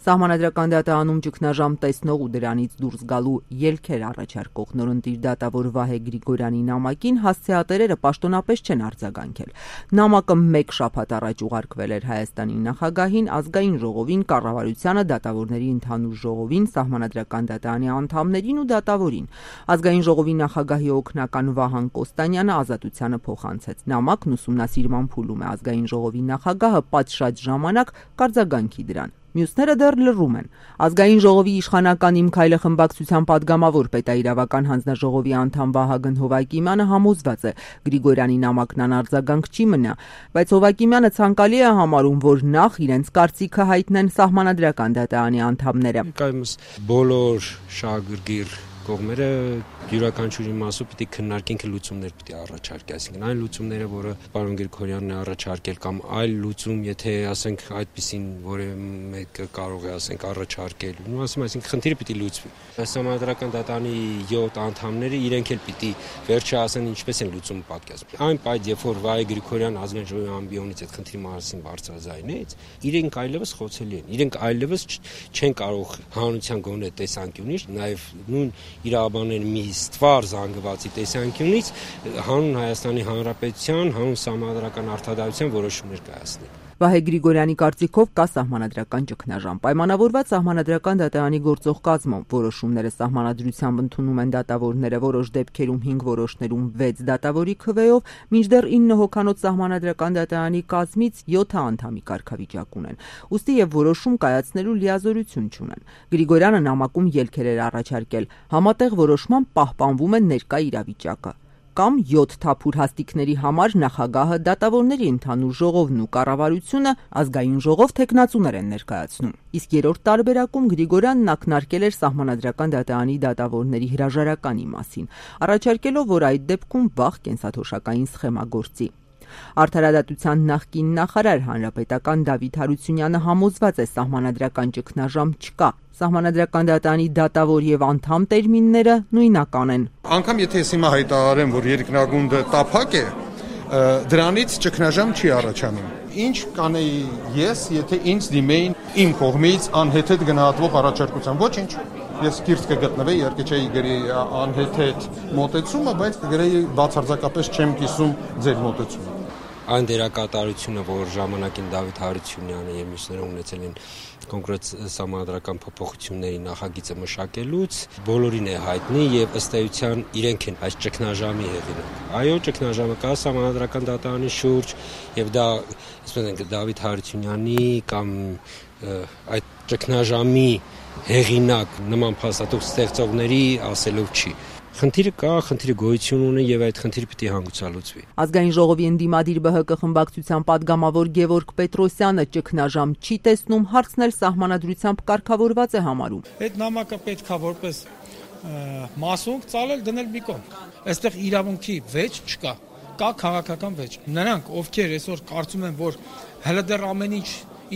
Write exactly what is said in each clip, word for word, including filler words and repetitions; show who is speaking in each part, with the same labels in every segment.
Speaker 1: Սահմանադրական դատարանում ճգնաժամ տեսնող ու դրանից դուրս գալու ելքեր առաջարկող նորընտիր դատավոր Վահե Գրիգորյանի նամակին հասցեատերերը պաշտոնապես չեն արձագանքել։ Նամակը մեկ շաբաթ առաջ ուղարկվել էր Հայաստանի նախագահին, ազգային ժողովին, կառավարությանը, դատավորների ընդհանուր ժողովին, Սահմանադրական դատարանի անդամներին ու դատավորին։ Ազգային ժողովի նախագահի օգնական Վահան Կոստանյանը Ազատությանը փոխանցեց նամակն ուսումնասիրման փուլում է։ Ազգային ժողովի նախագահը պատշաճ ժամանակ կարձագանքի դրան։ Մյուսները դեռ լռում են։ Ազգային ժողովի իշխանական Իմ քայլը խմբակցության падգամավոր պետաիրավական հանձնաժողովի անդամ Վահագն Հովակիմյանը համոզված է Գրիգորյանի նամակն անարձագանք չի մնա, բայց Հովակիմյանը ցանկալի է համարում, որ նախ իրենց կարծիքը հայտնեն Սահմանադրական դատարանի անդամները։
Speaker 2: Կայմս բոլոր շահագրգիռ կողմերը յուրաքանչյուրի մասով պիտի քննարկենք լուծումներ պիտի առաջարկի, այսինքն այն լուծումները, որը պարոն Գրիգորյանն է առաջարկել կամ այլ լուծում, եթե ասենք այդպեսին որևէ մեկը կարող է ասենք առաջարկել, ու ասում այսինքն խնդիրը պիտի լուծվի։ Սահմանադրական դատարանի յոթ անդամները իրենք էլ պիտի վերջը ասեն ինչպես են լուծումը պատկերացնում։ Այն պայդ, երբ որ Վահե Գրիգորյան ազգային ժողովի ամբիոնից այդ խնդրի մասին բարձրաձայնեց, իրենք այլևս խոցելի են։ Իրենք այլևս չեն կարող հանրության գոնե տեսանկյունից, նաև նույն իրավաբանների մի ստվար զանգվածի տեսանկյունից հանուն Հայաստանի Հանրապետության, հանուն սահմանադրական արդարադատության որոշումներ կայացնել։
Speaker 1: Վահե Գրիգորյանի կարծիքով կա սահմանադրական ճգնաժամ։ Պայմանավորված Սահմանադրական դատարանի գործող կազմում որոշումները սահմանադրությամբ ընդունում են դատավորները, որոշ դեպքերում հինգ որոշներում վեց դատավորի քվեով, մինչդեռ ինը հոգանոց Սահմանադրական դատարանի կազմից յոթ անդամի կարգավիճակ ունեն։ Ուստի եւ որոշում կայացնելու լիազորություն չունեն։ Գրիգորյանը նամակում ելքեր էր առաջարկել։ Համատեղ որոշմամբ պահպանվում է ներկա իրավիճակը։ Կամ յոթ թափուր հաստիկների համար նախագահը, դատավորների ընդհանուր ժողովն ու կառավարությունը ազգային ժողով թեկնածուներ են ներկայացնում։ Իսկ երրորդ տարբերակում Գրիգորյանն ակնարկել էր Սահմանադրական դատարանի դատավորների հրաժարականի մասին, առաջարկելով, որ այդ դեպքում վաղ կենսաթոշակային սխեմա գործի։ Արդարադատության նախկին նախարար հանրապետական Դավիթ Հարությունյանը համոզված է սահմանադրական ճգնաժամ չկա։ Սահմանադրական դատարանի դատավոր եւ անդամ տերմինները նույնական են։
Speaker 3: Անկամ եթե ես հիմա հայտարարեմ, որ երկնագունդը տափակ է, դրանից ճգնաժամ չի առաջանում։ Ինչ կանեի ես, եթե ինձ դիմեին իմ կողմից անհեթեթ գնահատվող առաջարկության, ոչինչ։ Ես կիրթ կգտնվեի, իհարկե չէի գրի անհեթեթ մոտեցումը, բայց կգրեի բացարձակապես չեմ կիսում ձեր մոտեցումը։
Speaker 2: Այն դերակատարությունը, որ ժամանակին Դավիթ Հարությունյանը եւ մյուսները ունեցել են կոնկրետ սահմանադրական փոփոխությունների նախագիծը մշակելուց, բոլորին է հայտնի եւ ըստ էության իրենք են այս ճգնաժամի հեղինակ։ Այո, ճգնաժամը կա սահմանադրական դատարանի շուրջ եւ դա, ասենք ենք, Դավիթ Հարությունյանի կամ այդ ճգնաժամի հեղինակ նման փաստաթուղթ ստեղծողների ասելով չի։ Խնդիրը կա, խնդիրը գոյություն ունի եւ այդ խնդիրը պիտի հանգուցալուծվի։
Speaker 1: Ազգային ժողովի ընդդիմադիր Բ Հ Կ խմբակցության падգամավոր Գևորգ Պետրոսյանը ճգնաժամ չի տեսնում, հարցն էլ սահմանադրությամբ կարգավորված է համարում։
Speaker 4: Այդ նամակը պետքա որպես մասունք ծալել դնել մի կողմ։ Այստեղ իրավունքի վեճ չկա, կա քաղաքական վեճ։ Նրանք, ովքեր այսօր կարծում են, որ հələ դեռ ամեն ինչ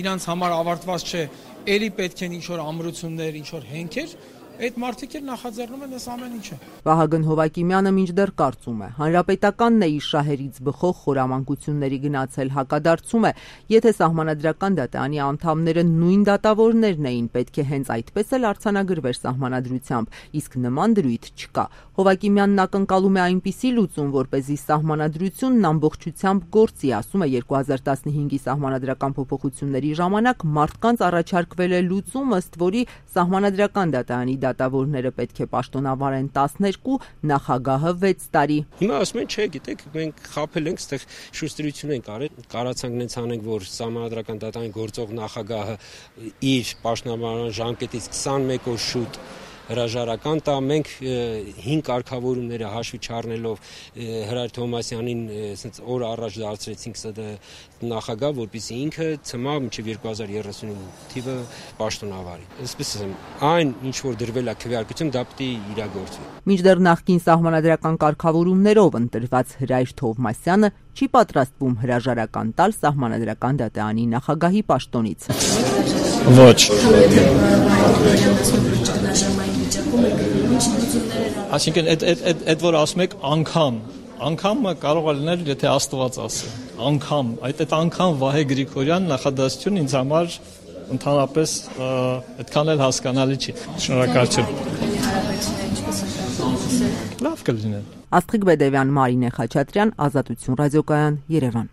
Speaker 4: իրանց համար ավարտված չէ, ելի պետք են ինչ-որ ամրություններ, ինչ-որ հենքեր, այդ մարդիկ էլ նախաձեռնում են այս ամեն ինչը։
Speaker 1: Վահագն Հովակիմյանը մինչդեռ կարծում է, հանրապետականն է իր շահերից բխող խորամանկությունների գնացել, հակադարձում է, եթե Սահմանադրական դատարանի անդամները նույն դատավորներն էին, պետք է հենց այդպես էլ արձանագրվեր Սահմանադրությամբ, իսկ նման դրույթ չկա։ Հովակիմյանն ակնկալում է այնպիսի լուծում, որպեսզի Սահմանադրությունն ամբողջությամբ գործի, ասում է երկու հազար տասնհինգի Սահմանադրական փոփոխությունների ժամանակ մարդկանց առաջարկվել է լուծում, ըստ որի Սահմանադրական դատարանի դատավորները պետք է պաշտոնավարեն տասներկու, նախագահը վեց տարի։
Speaker 2: Հիմա ասում են, չէ, գիտեք, մենք խաբել ենք, այդտեղ շուշտրություն ենք արել, կարացանք նենց անենք, որ Սահմանադրական դատարանի գործող նախագահը իր պաշտոնավարման ժամկետից քսանմեկ օր շուտ հրաժարական տա, մենք հին կարգավորումները հաշվի չառնելով Հրայր Թովմասյանին ասենց օր առաջ դարձրեցինք սա նախագահ, որպեսզի ինքը ցմա մինչև երկու հազար երեսունինը թիվը պաշտոնավարի։ Այսպես ասեմ, այն ինչ որ դրվել է քվեարկություն, դա պիտի իրագործվի։
Speaker 1: Մինչդեռ նախկին սահմանադրական կարգավորումներով ընտրված Հրայր Թովմասյանը չի պատրաստվում հրաժարական տալ Սահմանադրական դատարանի նախագահի պաշտոնից։
Speaker 5: Ոչ։ Այսինքն այդ այդ այդ որ ասում եք անգամ, անգամը կարող է լինել, եթե Աստված ասի։ Անգամ, այդ այդ անգամ Վահե Գրիգորյան նախադասություն ինձ համար ընդհանրապես այդքան էլ հասկանալի չի։ Շնորհակալություն։ Լավ կլիներ։
Speaker 1: Աստղիկ Բեդևյան, Մարինե Խաչատրյան, Ազատություն ռադիոկայան, Երևան։